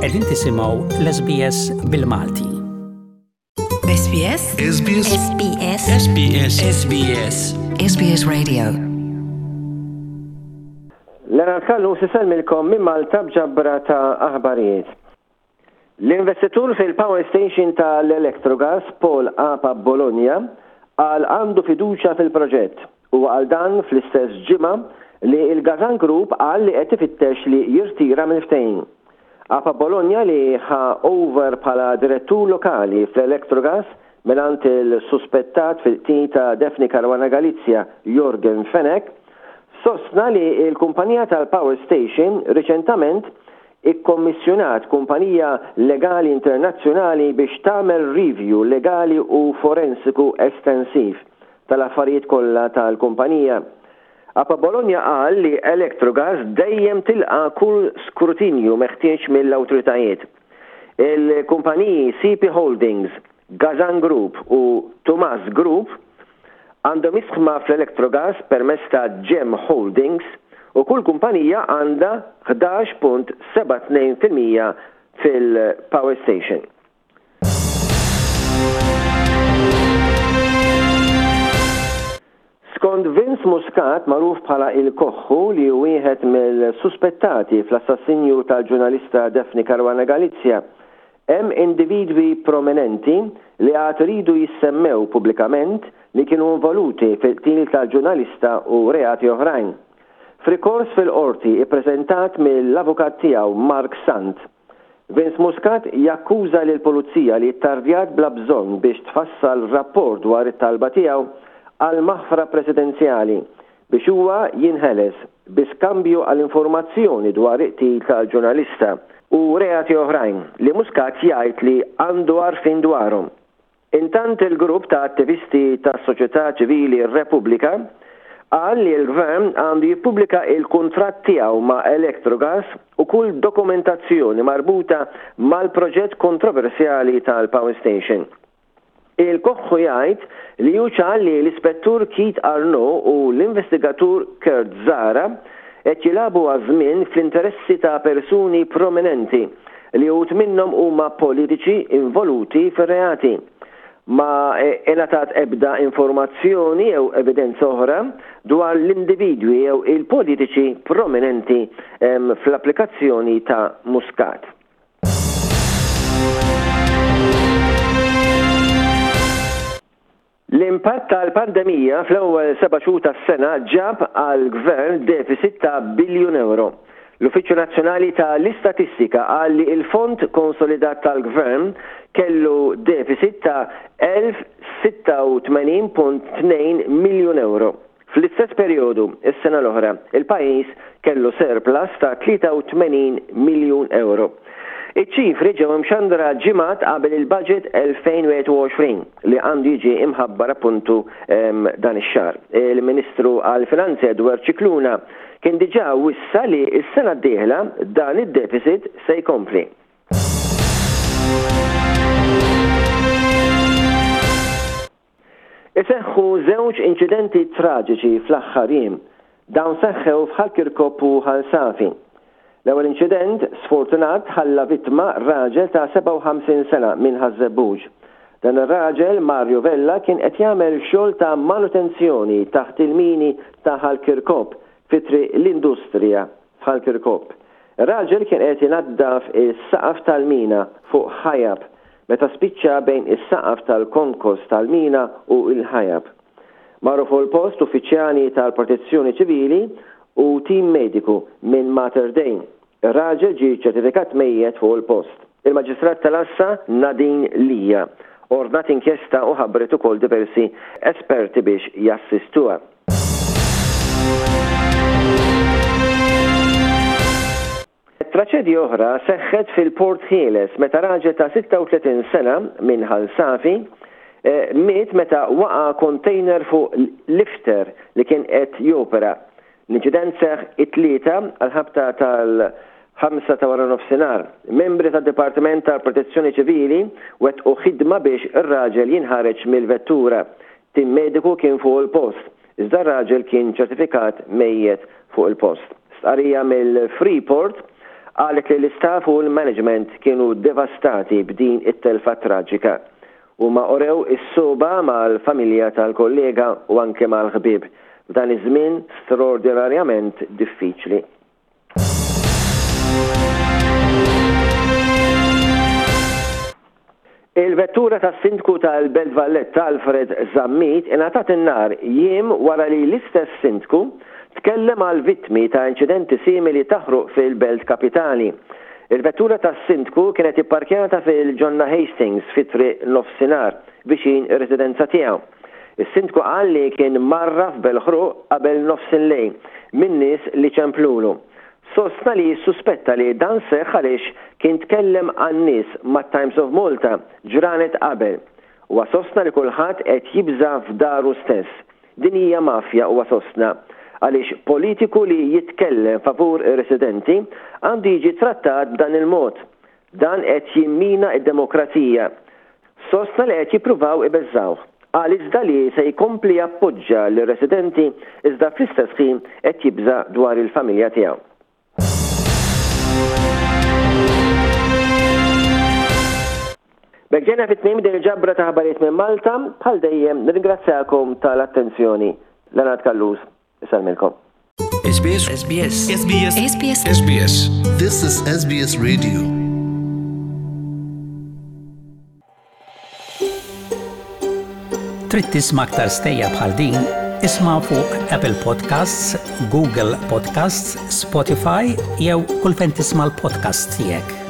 Qegħdin tisimgħu l-SBS bil-Malti. SBS SBS SBS SBS SBS SBS Radio Leonard Callus isellmilkom minn Malta b'ġabra ta' aħbarijiet. L-investitur fil-power station ta' l-Electrogas, Paul Apa Bologna, qal għandu fiduċja fil-proġett. Huwa qal dan fl-istess ġimgħa li l-Gazan Group qal li qed ifittex li jirtira mill-ftehim. Apa Bologna li ħa over bħala direttur lokali fl-Electrogas mingħand il-suspettat fil-qtil ta' Daphne Caruana Galizia, Yorgen Fenech, sostna li l-kumpanija tal-power station riċentament ikkommissjonat kumpanija legali internazzjonali biex tagħmel review legali u forensiku estensiv tal-affarijiet kollha tal-kumpanija. Apa Bologna qal li Electrogas dejjem tilqa' kull skrutinju meħtieġ mill-awtoritajiet. Il-kumpaniji CP Holdings, Gazan Group u Tumas Group għandhom isħma fl-Electrogas permezz ta' Gem Holdings u kull kumpanija għandha 11.72% fil-power station. Skont Vince Muscat, magħruf bħala Il-Koħħu, li hu wieħed mill-suspettati fl-assassinju tal-ġurnalista Daphne Caruana Galizia, hemm individwi prominenti li għad iridu jissemmew pubblikament li kienu involuti fil-qtil tal-ġurnalista u reati oħrajn. F'rikors fil-Qorti ippreżentat mill-avukat tiegħu Mark Sant, Vince Muscat jakkuża lill-Pulizija li ttardjat bla bżonn biex tfassal rapport dwar it-talba tiegħu għal maħfra presidenzjali biex huwa jinħeles bi skambju għal informazzjoni dwar il-qtil tal-ġurnalista u reati oħrajn li Muscat jgħid li għandu għarfien dwarhom. Intant il-grupp ta' attivisti tas-soċjetà ċivili Repubblika qal li l-Gvern għandu jippubblika il-kuntratt tiegħu ma' Electrogas u kull dokumentazzjoni marbuta mal-proġett kontroversjali tal-power station. Il-Koħħu jgħid li hu ċar li l-Ispettur Keith Arnaud u l-investigatur Kurt Zahra qed jilagħbu għaż-żmien fl-interessi ta' persuni prominenti li uħud minnhom huma politiċi involuti fir-reati. Ma ingħatat ebda informazzjoni jew evidenza oħra dwar l-individwi jew il-politiċi prominenti fl-applikazzjoni ta' Muscat. L-impatt tal-pandemija fl-ewwel seba' xhur tas-sena ġab għall-Gvern deficit ta' biljun ewro. L-Uffiċċju Nazzjonali ta' l-Istatistika qal li l-fond konsolidat tal-Gvern kellu deficit ta' 1,086.2 miljun ewro. Fl-istess perjodu, is-sena l-oħra, il-pajjiż kellu surplus ta' 83 miljun ewro. Iċ-ċifri ġew imxandra ġimgħat qabel il-Budget 2021 li għandu jiġi imħabbar appuntu dan ix-xahar. Il-Ministru għall-Finanzi Edward Scicluna kien diġà wissa li s-sena d-dieħla dan id-deficit se jkompli. Iseħħu żewġ inċidenti traġiċi fl-aħħar jiem. Dawn seħħew f'Ħal Kirkop u Ħal Safi. L-ewwel inċident sfortunat ħalla vittma raġel ta' 57 sena minn Ħaż-Żebbuġ. Dan ir-raġel, Mario Vella, kien qed jagħmel xogħol ta' manutenzjoni taħt il-mini ta' Ħal Kirkop fi Triq l-Industrija f'Ħal Kirkop. Ir-raġel kien qed inaddaf is-saqaf tal-mina fuq ħajab meta spiċċa bejn is-saqaf tal-konkos tal-mina u l-ħajab. Marru fuq il-post uffiċjali tal-Protezzjoni Ċivili u tim mediku minn Mater Dei. Ir-raġel ġie ċċertifikat mejjet fuq il-post. Il-Maġistrat tal-Għassa Nadine Lia ordnat inkjesta u ħabbret ukoll diversi esperti biex jassistuha. Traċedja oħra seħħet fil-Port Ħieles meta raġel ta' 36 sena minn Ħal Safi miet meta waqa' kontejner fuq lifter li kien qed jopera. L-inċident seħħ it-Tlieta għall-ħabta tal-ħamsa ta' waranofsinhar. Membri tad-Dipartiment tal-Protezzjoni Ċivili wettqu ħidma biex ir-raġel jinħareġ mill-vettura. Tim mediku kien fuq il-post, iżda r-raġel kien ċertifikat mejjet fuq il-post. Stqarrija mill-Freeport. Qalet li l-istaff u l-management kienu devastati b'din it-telfa traġika. Huma urew is-sogħba mal-familja tal-kollega u anke mal-ħbieb f'dan iż-żmien straordinarjament diffiċli. Il-vettura tas-Sindku tal-Belt Valletta Alfred Zammit ingħatat in-nar jiem wara li l-istess Sindku tkellem għal vittmi ta' inċidenti simili ta' ħruq fil-Belt Kapitali. Il-vettura tas-Sindku kienet ipparkjata fil-Ġonna Hastings fi Triq Nofsinhar viċin ir-residenza tiegħu. Is-Sindku qal li kien mgħarraf bel-ħruq qabel nofsillejl minn nies li ċemplulu. Sostna li jissuspetta li dan seħħ għaliex kien tkellem għan-nies mat-Times of Malta ġranet qabel. Huwa sostna li kulħadd qed jibża' f'daru stess. Din hija mafja huwa sostna, għaliex politiku li jitkellem favur ir-residenti għandu jiġi trattat b'dan il-mod. Dan qed jimmina d-demokrazija. Sostna li qed jippruvaw ibeżżgħuh. Qal iżda li se jkompli jappoġġa lir-residenti iżda fl-istess ħin qed jibża' dwar il-familja tiegħu. B'hekk ġejna fi tmiem din il-ġabra ta' aħbarijiet minn Malta. Bħal dejjem nirringrazzjakom tal-attenzjoni. Leonard Callus isellmilkom. SBS SBS SBS SBS SBS This is SBS Radio. Trid tisma' aktar stejjer bħal din? Isma' fuq Apple Podcasts, Google Podcasts, Spotify jew kull fejn tisma' l-podcasts tiegħek.